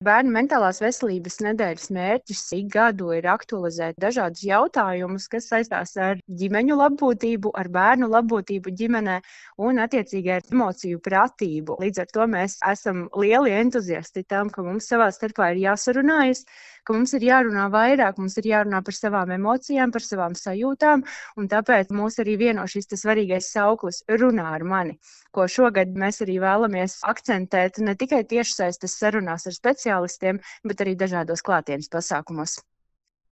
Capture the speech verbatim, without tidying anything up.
Bērnu mentālās veselības nedēļas mērķis ik gadu ir aktualizēt dažādus jautājumus, kas saistās ar ģimeņu labbūtību, ar bērnu labbūtību ģimenē un attiecīgi ar emociju pratību. Līdz ar to mēs esam lieli entuziasti tam, ka mums savā starpā ir jāsarunājas, ka mums ir jārunā vairāk, mums ir jārunā par savām emocijām, par savām sajūtām, un tāpēc mūs arī vieno šis tas svarīgais sauklis runā ar mani, ko šogad mēs arī vēlamies akcentēt ne tikai tiešsaistes sarunās ar speciālistiem, bet arī dažādos klātienes pasākumos.